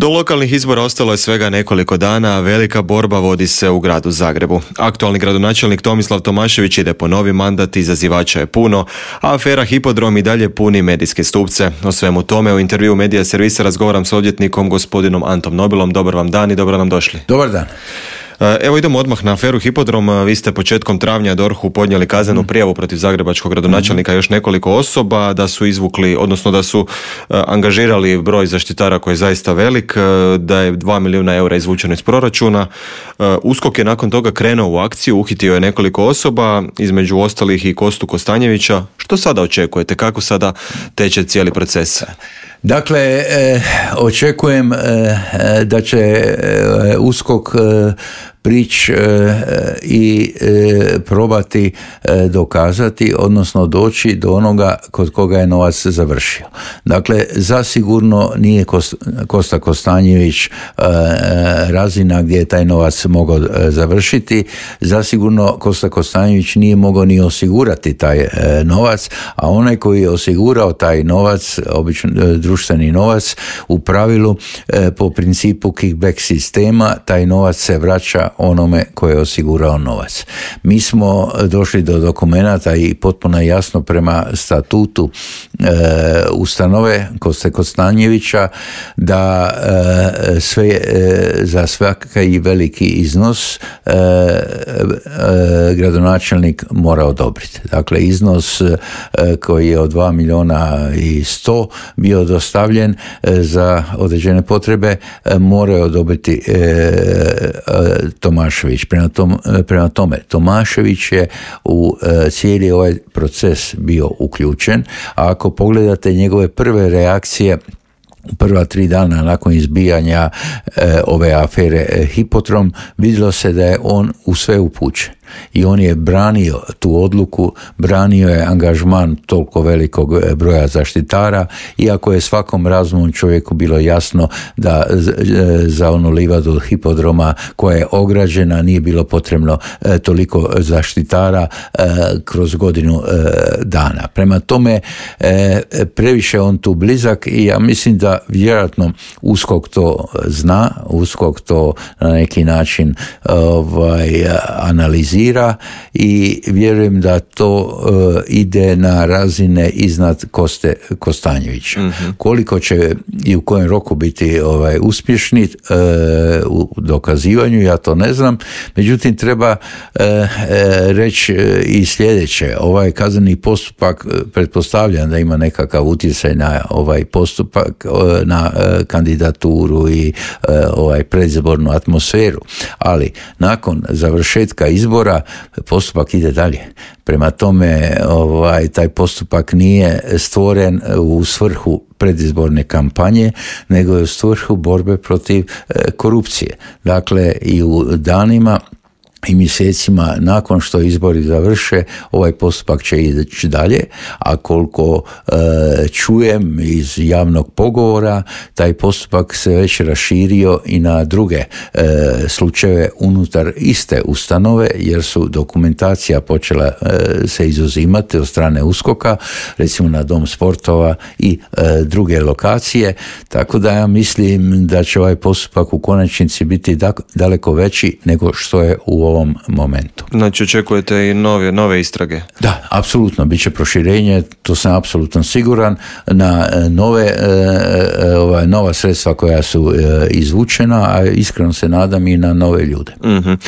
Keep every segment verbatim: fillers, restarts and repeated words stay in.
Do lokalnih izbora ostalo je svega nekoliko dana, a velika borba vodi se u gradu Zagrebu. Aktualni gradonačelnik Tomislav Tomašević ide po novi mandat, izazivača je puno, a afera Hipodrom i dalje puni medijske stupce. O svemu tome u intervjuu Medija servisa razgovaram s odvjetnikom gospodinom Antom Nobilom. Dobar vam dan i dobro nam došli. Dobar dan. Evo idemo odmah na aferu Hipodrom. Vi ste početkom travnja D O R H-u podnijeli kaznenu prijavu protiv zagrebačkog gradonačelnika još nekoliko osoba, da su izvukli, odnosno da su uh, angažirali broj zaštitara koji je zaista velik, uh, da je dva milijuna eura izvučeno iz proračuna. Uh, USKOK je nakon toga krenuo u akciju, uhitio je nekoliko osoba, između ostalih i Kostu Kostanjevića. Što sada očekujete? Kako sada teče cijeli proces? Dakle, eh, očekujem eh, da će eh, USKOK eh, prići eh, i eh, probati eh, dokazati, odnosno doći do onoga kod koga je novac završio. Dakle, zasigurno nije Kost, Kosta Kostanjević eh, razina gdje je taj novac mogao eh, završiti. Zasigurno Kosta Kostanjević nije mogao ni osigurati taj eh, novac, a onaj koji je osigurao taj novac, obično eh, društveni novac, u pravilu eh, po principu kickback sistema, taj novac se vraća onome koji je osigurao novac. Mi smo došli do dokumenata i potpuno jasno prema statutu e, ustanove Koste Kostanjevića da e, sve, e, za svaki veliki iznos e, e, gradonačelnik mora odobriti. Dakle, iznos e, koji je od dva milijuna i sto bio dostavljen e, za određene potrebe e, moraju odobriti e, e, Tomašević. Prema, tom, prema tome, Tomašević je u e, cijeli ovaj proces bio uključen, a ako pogledate njegove prve reakcije prva tri dana nakon izbijanja e, ove afere e, Hipodrom, vidjelo se da je on u sve upućen. I on je branio tu odluku, branio je angažman toliko velikog broja zaštitara, iako je svakom razumnom čovjeku bilo jasno da za onu livadu Hipodroma koja je ograđena nije bilo potrebno toliko zaštitara kroz godinu dana. Prema tome, previše on tu blizak i ja mislim da vjerojatno USKOK to zna, USKOK to na neki način ovaj, analizira i vjerujem da to uh, ide na razine iznad Koste Kostanjevića. Mm-hmm. Koliko će i u kojem roku biti ovaj, uspješni uh, u dokazivanju, ja to ne znam. Međutim, treba uh, uh, reći uh, i sljedeće. Ovaj kazneni postupak uh, pretpostavljam da ima nekakav utjecaj na ovaj postupak, uh, na uh, kandidaturu i uh, ovaj predizbornu atmosferu. Ali nakon završetka izbora postupak ide dalje. Prema tome, ovaj, taj postupak nije stvoren u svrhu predizborne kampanje, nego je u svrhu borbe protiv e, korupcije. Dakle, i u danima i mjesecima nakon što izbori završe, ovaj postupak će ići dalje, a koliko e, čujem iz javnog pogovora, taj postupak se već raširio i na druge e, slučajeve unutar iste ustanove, jer su dokumentacija počela e, se izuzimati od strane USKOK-a, recimo na Dom sportova i e, druge lokacije, tako da ja mislim da će ovaj postupak u konačnici biti da, daleko veći nego što je u ovom momentu. Znači očekujete i nove, nove istrage? Da, apsolutno, bit će proširenje, to sam apsolutno siguran, na nove, ova, nova sredstva koja su izvučena, a iskreno se nadam i na nove ljude. Mm-hmm.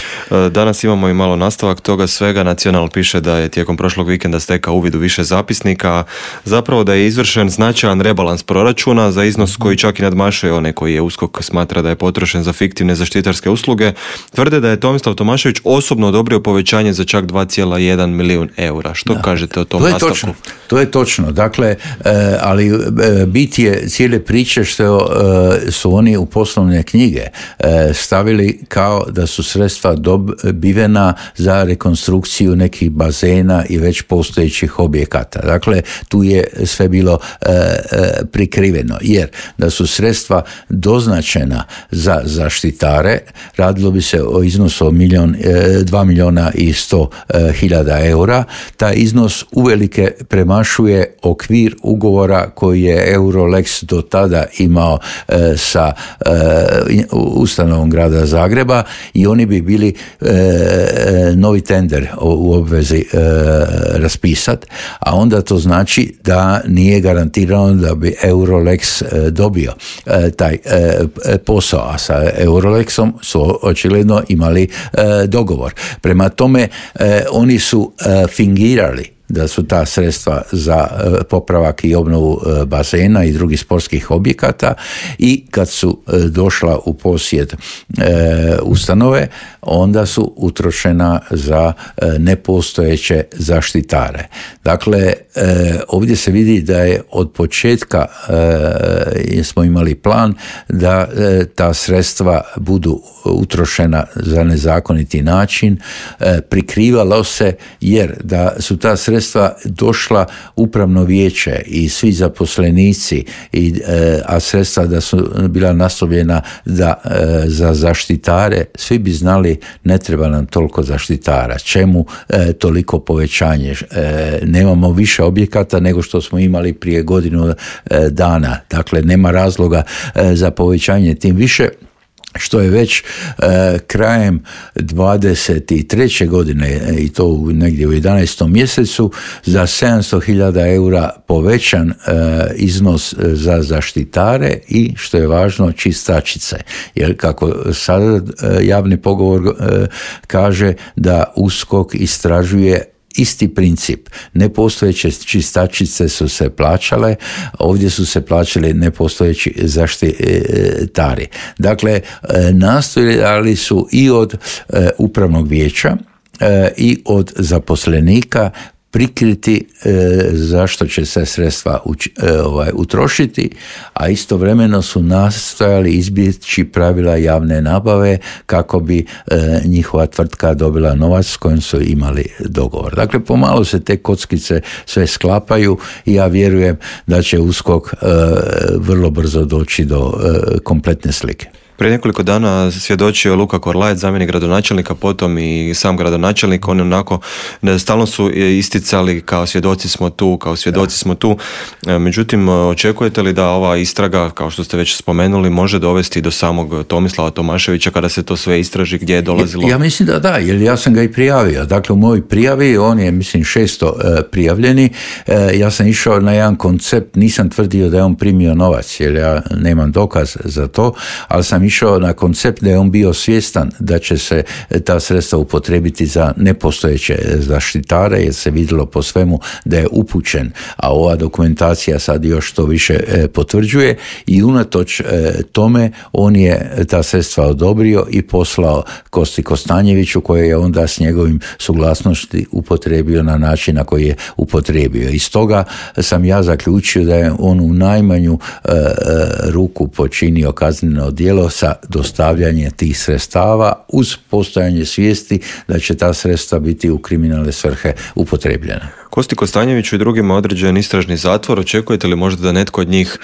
Danas imamo i malo nastavak toga svega. Nacional piše da je tijekom prošlog vikenda stekao uvid u više zapisnika, zapravo da je izvršen značajan rebalans proračuna za iznos koji čak i nadmašuje one koji je USKOK smatra da je potrošen za fiktivne zaštitarske usluge. Tvrde da je Tomislav Tomašević osobno odobrio povećanje za čak dva zarez jedan milijun eura. Što da. kažete o tom to nastavku? Točno, to je točno. Dakle, e, ali e, bit je cijele priče što e, su oni u poslovne knjige e, stavili kao da su sredstva dobivena za rekonstrukciju nekih bazena i već postojećih objekata. Dakle, tu je sve bilo e, e, prikriveno, jer da su sredstva doznačena za zaštitare, radilo bi se o iznosu od milijun dva milijuna i sto hiljada eura. Taj iznos uvelike premašuje okvir ugovora koji je Eurolex do tada imao sa ustanovom grada Zagreba i oni bi bili novi tender u obvezi raspisati, a onda to znači da nije garantirano da bi Eurolex dobio taj posao, a sa Eurolexom su očigledno imali dogovor. Prema tome, oni su fingirali da su ta sredstva za popravak i obnovu bazena i drugih sportskih objekata i kad su došla u posjed ustanove, onda su utrošena za nepostojeće zaštitare. Dakle, ovdje se vidi da je od početka smo imali plan da ta sredstva budu utrošena za nezakoniti način, prikrivalo se jer da su ta sredstva došla upravno vijeće i svi zaposlenici, i, a sredstva da su bila naslovljena da, za zaštitare, svi bi znali ne treba nam toliko zaštitara, čemu toliko povećanje, nemamo više objekata nego što smo imali prije godinu dana, dakle nema razloga za povećanje, tim više što je već e, krajem dvadeset treće godine i to u, negdje u jedanaestom mjesecu za sedamsto hiljada eura povećan e, iznos za zaštitare i što je važno čistačice, jer kako sada e, javni pogovor e, kaže da USKOK istražuje isti princip. Nepostojeće čistačice su se plaćale, ovdje su se plaćali nepostojeći zaštitari. Dakle, nastojali su i od upravnog vijeća i od zaposlenika prikriti e, zašto će se sredstva uč, e, ovaj, utrošiti, a istovremeno su nastojali izbjeći pravila javne nabave kako bi e, njihova tvrtka dobila novac s kojim su imali dogovor. Dakle, pomalo se te kockice sve sklapaju i ja vjerujem da će USKOK e, vrlo brzo doći do e, kompletne slike. Prije nekoliko dana svjedočio Luka Korlajet, zamjenik gradonačelnika, potom i sam gradonačelnik. Oni onako stalno su isticali kao svjedoci smo tu, kao svjedoci smo tu. Međutim, očekujete li da ova istraga, kao što ste već spomenuli, može dovesti do samog Tomislava Tomaševića kada se to sve istraži, gdje je dolazilo? Ja, ja mislim da da, jer ja sam ga i prijavio. Dakle, u mojoj prijavi, on je, mislim, šesto e, prijavljeni. E, ja sam išao na jedan koncept, nisam tvrdio da je on primio novac, jer ja nemam dokaz za to, ali sam išao na koncept da je on bio svjestan da će se ta sredstva upotrijebiti za nepostojeće zaštitare, jer se vidjelo po svemu da je upućen, a ova dokumentacija sad još to više potvrđuje, i unatoč tome on je ta sredstva odobrio i poslao Kosti Kostanjeviću, koje je onda s njegovim suglasnosti upotrijebio na način na koji je upotrijebio. I stoga sam ja zaključio da je on u najmanju ruku počinio kazneno djelo sa dostavljanje tih sredstava uz postojanje svijesti da će ta sredstva biti u kriminalne svrhe upotrebljena. Kosti Kostanjeviću i drugima određen istražni zatvor. Očekujete li možda da netko od njih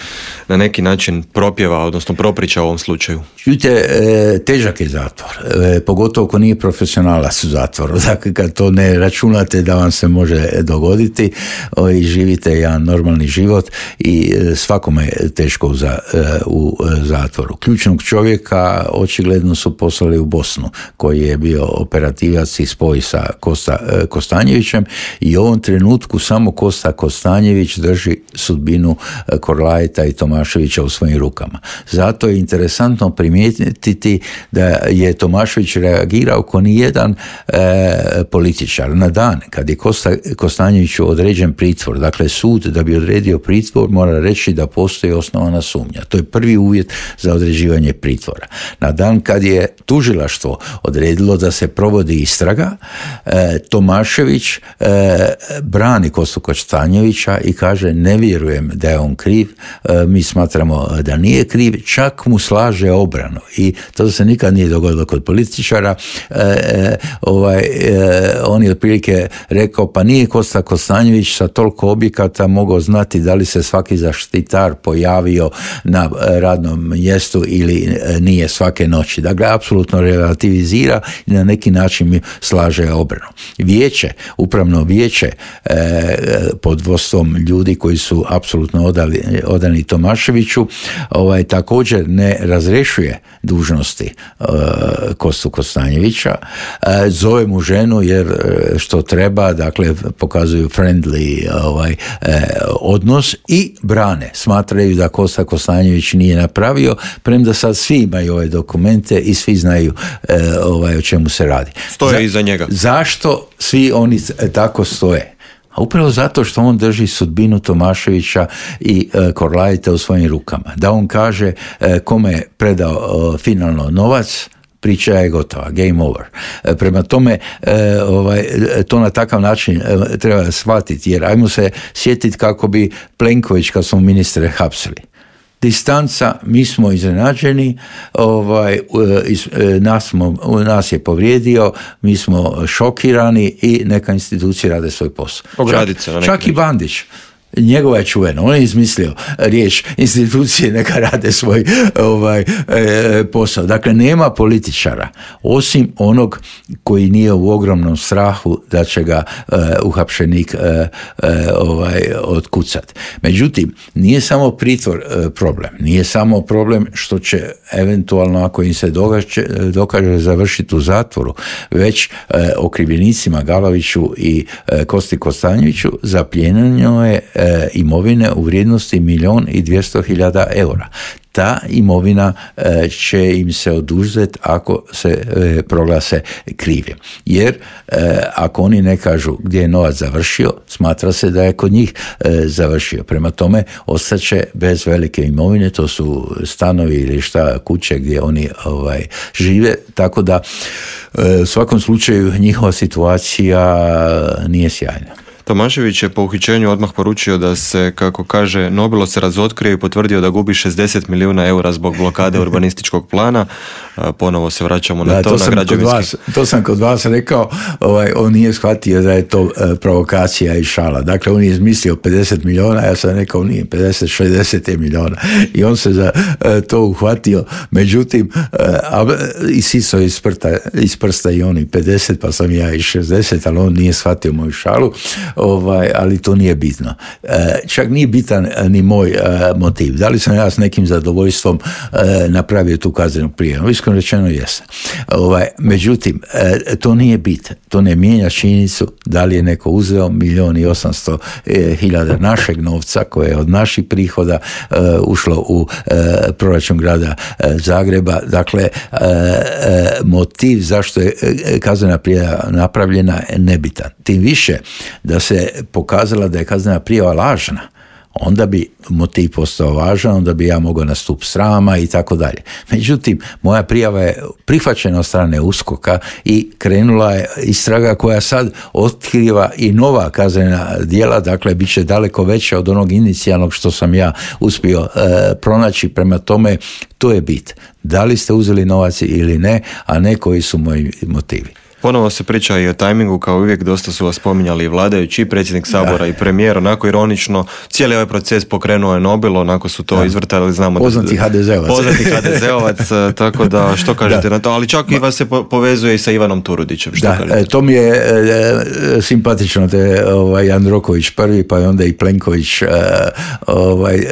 na neki način propjeva, odnosno propriča u ovom slučaju? Čujte, težak je zatvor, pogotovo ako nije profesionalac u zatvoru. Dakle, kad to ne računate da vam se može dogoditi i živite jedan normalni život, i svakome je teško u zatvoru. Ključnog čovjeka očigledno su poslali u Bosnu, koji je bio operativac i spoj sa Kosta Kostanjevićem, i u ovom trenutku samo Kosta Kostanjević drži sudbinu Korlajeta i Tomaševića u svojim rukama. Zato je interesantno primijetiti da je Tomašević reagirao kao nijedan e, političar. Na dan kad je Kosta Kostanjeviću određen pritvor, dakle sud da bi odredio pritvor mora reći da postoji osnovana sumnja. To je prvi uvjet za određivanje pritvora. Na dan kad je tužilaštvo odredilo da se provodi istraga, e, Tomašević e, brani Kostu Kostanjevića i kaže ne vjerujem da je on kriv, e, mi smatramo da nije kriv, čak mu slaže obranu, i to se nikad nije dogodilo kod političara. E, e, ovaj, e, on je otprilike rekao pa nije Kosta Kostanjević sa toliko objekata mogao znati da li se svaki zaštitar pojavio na radnom mjestu ili nije svake noći. Dakle, apsolutno relativizira i na neki način mi slaže obranu. Vijeće, upravno vijeće e, pod vodstvom ljudi koji su apsolutno odali, odani Tomaševiću, ovaj, također ne razrešuje dužnosti e, Kostu Kostanjevića, e, zove mu ženu jer što treba, dakle, pokazuju friendly ovaj, e, odnos i brane. Smatraju da Kosta Kostanjević nije napravio, premda sad svi imaju ove dokumente i svi znaju e, ovaj, o čemu se radi. Stoje Za, iza njega. Zašto svi oni tako stoje? A upravo zato što on drži sudbinu Tomaševića i e, Korlajita u svojim rukama. Da on kaže e, kome je predao e, finalno novac, priča je gotova, game over. E, prema tome, e, ovaj, to na takav način e, treba shvatiti, jer ajmo se sjetiti kako bi Plenković, kad smo ministre hapsili. Distanca, mi smo iznenađeni, ovaj, nas, smo, nas je povrijedio, mi smo šokirani i neka institucije rade svoj posao. Ogradit se na neki čak, čak i Bandić. Njegova je čuvena, on je izmislio riječ institucije neka rade svoj ovaj, e, posao. Dakle, nema političara, osim onog koji nije u ogromnom strahu da će ga e, uhapšenik e, e, ovaj, otkucat. Međutim, nije samo pritvor e, problem, nije samo problem što će eventualno, ako im se događe, dokaže završiti u zatvoru, već e, okrivljenicima Galoviću i e, Kosti Kostanjeviću zapljenjeno je e, imovine u vrijednosti milijun i dvjesto hiljada eura. Ta imovina e, će im se oduzeti ako se e, proglase krivim. Jer e, ako oni ne kažu gdje je novac završio, smatra se da je kod njih e, završio. Prema tome, ostaće bez velike imovine, to su stanovi ili šta, kuće gdje oni ovaj, žive, tako da e, u svakom slučaju njihova situacija nije sjajna. Tomašević je po uhićenju odmah poručio da se, kako kaže, Nobilo se razotkrio i potvrdio da gubi šezdeset milijuna eura zbog blokade urbanističkog plana. Ponovo se vraćamo na da, to, to na sam građevinski. Kod vas, to sam kod vas rekao, ovaj, on nije shvatio da je to e, provokacija i šala. Dakle, on je izmislio pedeset milijuna, ja sam rekao nije pedeset, šezdeset milijuna. I on se za e, to uhvatio. Međutim, e, isiso iz, iz prsta i oni pedeset, pa sam ja i šezdeset, ali on nije shvatio moju šalu. Ovaj, ali to nije bitno. E, čak nije bitan ni moj e, motiv. Da li sam ja s nekim zadovoljstvom e, napravio tu kaznenu prijavu? Iskreno rečeno jesam. Ovaj, međutim, e, to nije bit. To ne mijenja činjenicu da li je neko uzeo milijon i osamsto hiljada našeg novca koje je od naših prihoda e, ušlo u e, proračun grada e, Zagreba. Dakle, e, e, motiv zašto je kaznena prijava napravljena je nebitan. Tim više da se pokazala da je kaznena prijava lažna, onda bi motiv postao važan, onda bi ja mogao na stup srama i tako dalje. Međutim, moja prijava je prihvaćena od strane USKOK-a i krenula je istraga koja sad otkriva i nova kaznena djela, dakle, bit će daleko veća od onog inicijalnog što sam ja uspio e, pronaći. Prema tome, to je bit. Da li ste uzeli novac ili ne, a ne koji su moji motivi. Ponovo se priča i o tajmingu, kao uvijek dosta su vas spominjali i vladajući, i predsjednik Sabora da. i premijer, onako ironično, cijeli ovaj proces pokrenuo je Nobilo, onako su to da. izvrtali, znamo poznati da, ha de zeovac. Poznati ha de zeovac, tako da što kažete da. na to, ali čak i vas se povezuje i sa Ivanom Turudićem. Što da, kažete? To mi je e, simpatično, te ovaj, Jandroković prvi, pa je onda i Plenković e, ovaj, e,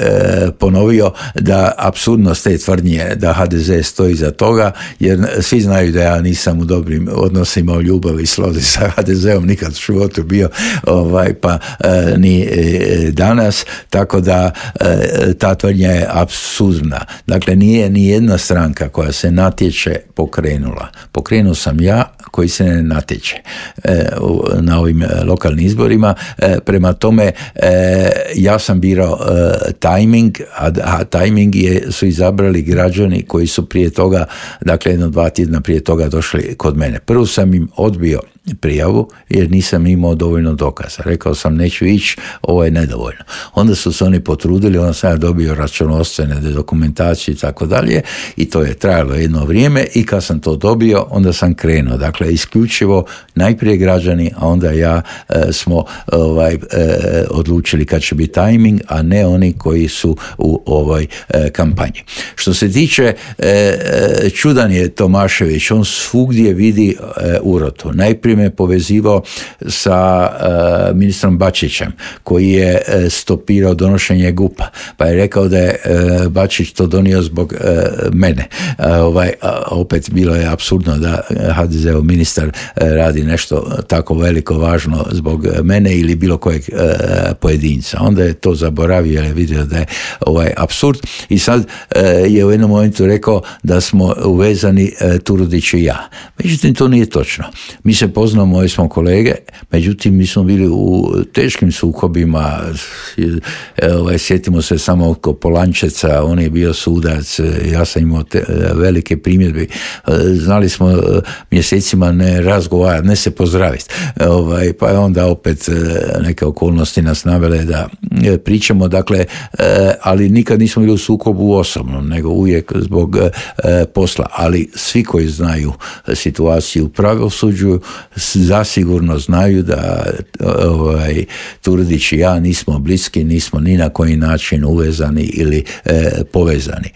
ponovio da apsurdnost te tvrdnje da ha de ze stoji za toga, jer svi znaju da ja nisam u dobrim odnosima imao ljubav i slozi sa ha de zeom, nikad u životu bio, ovaj, pa e, ni e, danas, tako da e, ta tvrdnja je apsurdna. Dakle, nije ni jedna stranka koja se natječe pokrenula. Pokrenuo sam ja koji se ne natječe e, na ovim lokalnim izborima. E, prema tome, e, ja sam birao e, tajming, a, a tajming je, su izabrali građani koji su prije toga, dakle jedno dva tjedna prije toga došli kod mene. Prvo sam im odbio prijavu jer nisam imao dovoljno dokaza. Rekao sam neću ići, ovo je nedovoljno. Onda su se oni potrudili, onda sam ja dobio računovodstvene dokumentacije i tako dalje i to je trajalo jedno vrijeme i kad sam to dobio, onda sam krenuo. Dakle, isključivo najprije građani, a onda ja e, smo ovaj, e, odlučili kad će biti tajming, a ne oni koji su u ovoj e, kampanji. Što se tiče e, čudan je Tomašević, on svugdje vidi e, urotu. Najprije me povezivao sa e, ministrom Bačićem koji je e, stopirao donošenje gupa, pa je rekao da je e, Bačić to donio zbog e, mene. E, ovaj, a, opet bilo je apsurdno da ha de ze-ov ministar e, radi nešto tako veliko važno zbog mene ili bilo kojeg e, pojedinca. Onda je to zaboravio jer je vidio da je ovaj apsurd i sad e, je u jednom momentu rekao da smo uvezani e, Turudić i ja. Međutim, to nije točno. Mi se poznamo, moji smo kolege, međutim, mi smo bili u teškim sukobima. E, ovaj, sjetimo se samo oko Polančeca, on je bio sudac, ja sam imao te, velike primjedbe. Znali smo mjesecima ne razgovarati, ne se pozdraviti. E, ovaj, pa je onda opet neke okolnosti nas navele da pričamo, dakle, ali nikad nismo bili u sukobu osobnom, nego uvijek zbog posla. Ali svi koji znaju situaciju u pravosuđu zasigurno znaju da ovaj, Turudić i ja nismo bliski, nismo ni na koji način uvezani ili e, povezani.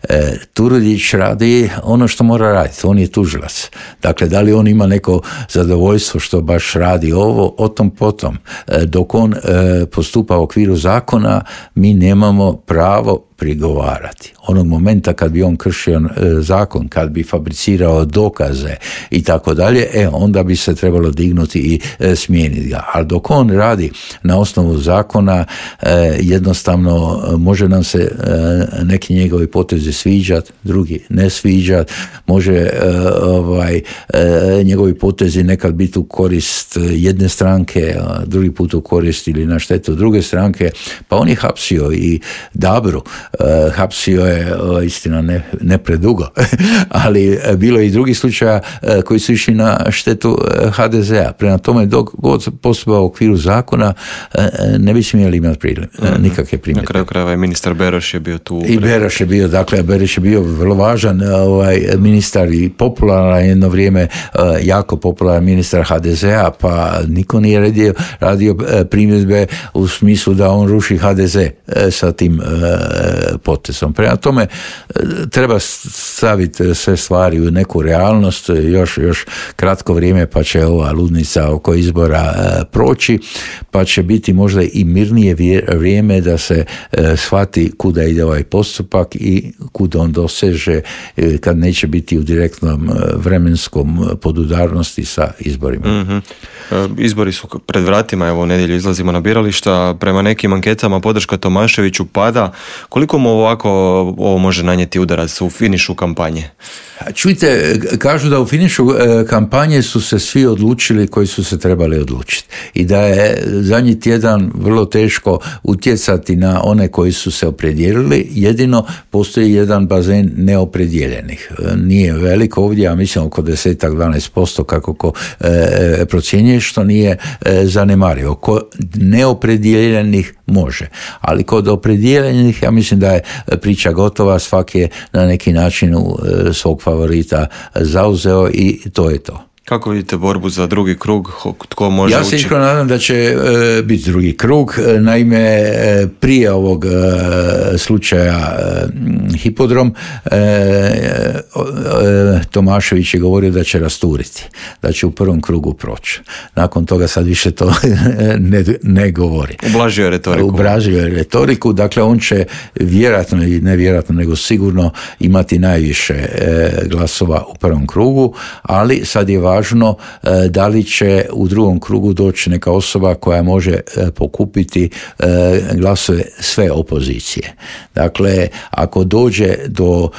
E, Turudić radi ono što mora raditi, on je tužilac. Dakle, da li on ima neko zadovoljstvo što baš radi ovo, o tom potom. E, dok on e, postupa u okviru zakona, mi nemamo pravo prigovarati. Onog momenta kad bi on kršio e, zakon, kad bi fabricirao dokaze i tako dalje, e, onda bi se trebalo dignuti i e, smijeniti ga. Ali dok on radi na osnovu zakona, e, jednostavno može nam se e, neki njegovi potezi sviđati, drugi ne sviđati, može e, ovaj, e, njegovi potezi nekad biti u korist jedne stranke, a drugi put u korist ili na štetu druge stranke, pa on je hapsio i Dabru. Uh, hapsio je, uh, istina ne, ne predugo, ali uh, bilo je i drugih slučaja uh, koji su išli na štetu uh, ha de ze-a. Prema tome, dok god postupao u okviru zakona, uh, ne bi smjeli imati priljem, uh, nikakve primjedbe. Na kraju krajeva i ministar Beroš je bio tu. I Beroš je bio, dakle, Beroš je bio vrlo važan ovaj, ministar i popularan jedno vrijeme, uh, jako popularan ministar ha de ze-a, pa niko nije radio, radio uh, primjedbe u smislu da on ruši ha de ze uh, sa tim uh, potezom. Prema tome, treba staviti sve stvari u neku realnost, još, još kratko vrijeme pa će ova ludnica oko izbora proći, pa će biti možda i mirnije vrijeme da se shvati kuda ide ovaj postupak i kuda on doseže kad neće biti u direktnom vremenskom podudarnosti sa izborima. Mm-hmm. Izbori su pred vratima, evo u nedjelju izlazimo na birališta, prema nekim anketama podrška Tomaševiću pada. Koliko mu ovako ovo može nanijeti udarac u finišu kampanje? Čujte, kažu da u finišu kampanje su se svi odlučili koji su se trebali odlučiti i da je zadnji tjedan vrlo teško utjecati na one koji su se opredijelili, jedino postoji jedan bazen neopredijeljenih. Nije veliko ovdje, ja mislim oko deset do dvanaest posto kako ko e, procjenjuje, što nije e, zanemarivo. Ko neopredijeljenih može, ali kod opredijeljenih ja mislim da je priča gotova, svak je na neki način u e, svog favorita zauzeo i to je to. Kako vidite borbu za drugi krug? Tko može ja se ući? iskreno nadam da će e, biti drugi krug. Naime, e, prije ovog e, slučaja e, Hipodrom e, e, Tomašević je govorio da će rasturiti, da će u prvom krugu proći. Nakon toga sad više to ne, ne govori. Ublažio je retoriku. Ublažio je retoriku, dakle on će vjerojatno i nevjerojatno nego sigurno imati najviše e, glasova u prvom krugu, ali sad je važno da li će u drugom krugu doći neka osoba koja može pokupiti glasove sve opozicije. Dakle, ako dođe do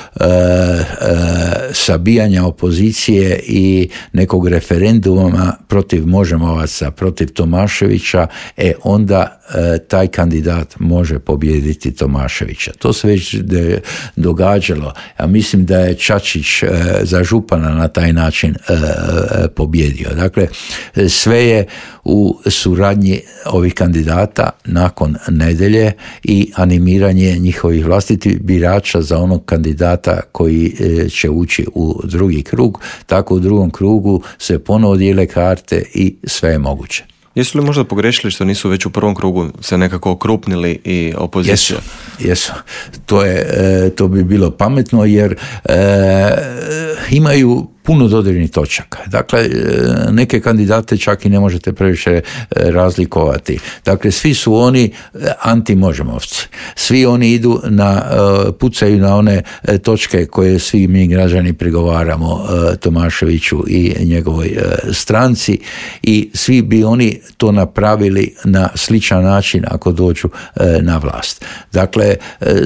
sabijanja opozicije i nekog referenduma protiv Možemovaca, protiv Tomaševića, e onda e, taj kandidat može pobijediti Tomaševića. To se već de, događalo. Ja mislim da je Čačić e, za župana na taj način e, pobjedio. Dakle, sve je u suradnji ovih kandidata nakon nedjelje i animiranje njihovih vlastitih birača za onog kandidata koji će ući u drugi krug. Tako u drugom krugu se ponovo dijele karte i sve je moguće. Jesu li možda pogrešili što nisu već u prvom krugu se nekako okrupnili i opozicija? Jesu, jesu. To, je, to bi bilo pametno jer e, imaju puno dodirnih točaka. Dakle, neke kandidate čak i ne možete previše razlikovati. Dakle, svi su oni anti-Možemovci. Svi oni idu na, pucaju na one točke koje svi mi građani prigovaramo Tomaševiću i njegovoj stranci i svi bi oni to napravili na sličan način ako dođu na vlast. Dakle,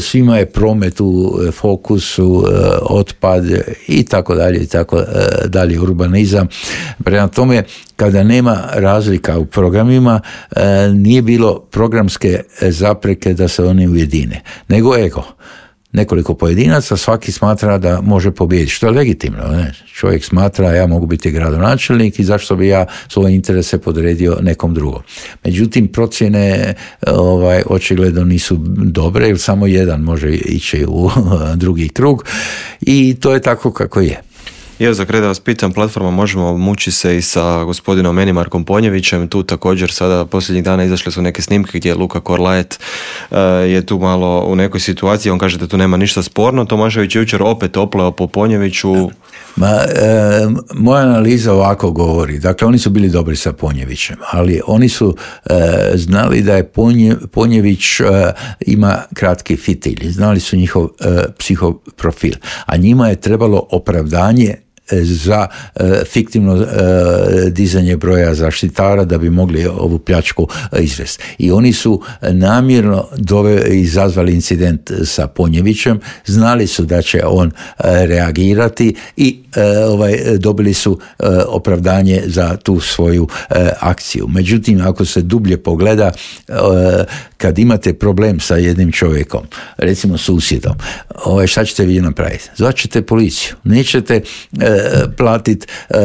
svima je promet u fokusu, otpad i tako dalje i tako dalje, urbanizam. Prema tome, kada nema razlika u programima, nije bilo programske zapreke da se oni ujedine, nego ego. Nekoliko pojedinaca, svaki smatra da može pobijediti, što je legitimno. Ne? Čovjek smatra, ja mogu biti gradonačelnik i zašto bi ja svoje interese podredio nekom drugom. Međutim, procjene ovaj, očigledno nisu dobre, jer samo jedan može ići u drugi krug i to je tako kako je. Ja za kraj da vas pitam, platforma Možemo muči se i sa gospodinom Enimarkom Ponjevićem, tu također sada posljednjih dana izašle su neke snimke gdje Luka Korlaet uh, je tu malo u nekoj situaciji, on kaže da tu nema ništa sporno, Tomašević je jučer opet opleo po Ponjeviću. Ma, e, moja analiza ovako govori, dakle oni su bili dobri sa Ponjevićem, ali oni su e, znali da je Ponje, Ponjević e, ima kratki fitilj, znali su njihov e, psihoprofil, a njima je trebalo opravdanje za e, fiktivno e, dizanje broja zaštitara da bi mogli ovu pljačku e, izvesti. I oni su namjerno dove, izazvali incident sa Ponjevićem, znali su da će on e, reagirati i e, ovaj, dobili su e, opravdanje za tu svoju e, akciju. Međutim, ako se dublje pogleda, e, kad imate problem sa jednim čovjekom, recimo susjedom, ovaj, šta ćete vi napraviti? Zvaćete policiju. Nećete e, platiti e,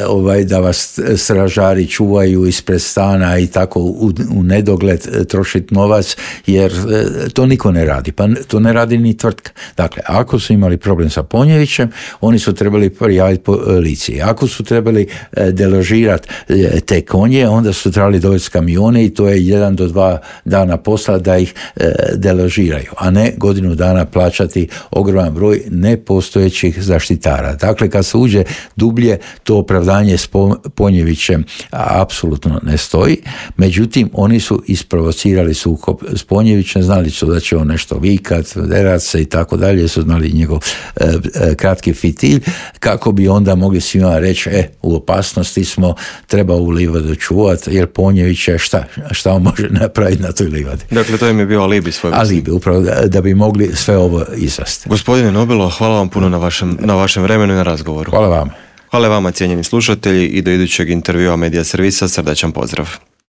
ovaj, da vas stražari čuvaju ispred stana i tako u, u nedogled e, trošiti novac, jer e, to niko ne radi, pa to ne radi ni tvrtka. Dakle, ako su imali problem sa Ponjevićem, oni su trebali prijaviti policiji. Ako su trebali e, deložirati e, te konje, onda su trebali dovesti kamione i to je jedan do dva dana posla da ih e, deložiraju, a ne godinu dana plaćati ogroman broj nepostojećih zaštitara. Dakle, kad se uđe dublje, to opravdanje s Ponjevićem apsolutno ne stoji. Međutim, oni su isprovocirali sukob s Ponjevićem, znali su da će on nešto vikat, derat se i tako dalje, su znali njegov e, e, kratki fitilj, kako bi onda mogli svima reći, e, u opasnosti smo, treba u livadu čuvati, jer Ponjević je šta, šta on može napraviti na toj livadi. Dakle, to im je bio alibi svoj. Alibi, upravo da, da bi mogli sve ovo izvesti. Gospodine Nobilo, hvala vam puno na vašem, na vašem vremenu i na razgovoru. Hvala vam. Hvala vama, cijenjeni slušatelji, i do idućeg intervjua Medija servisa srdačan pozdrav.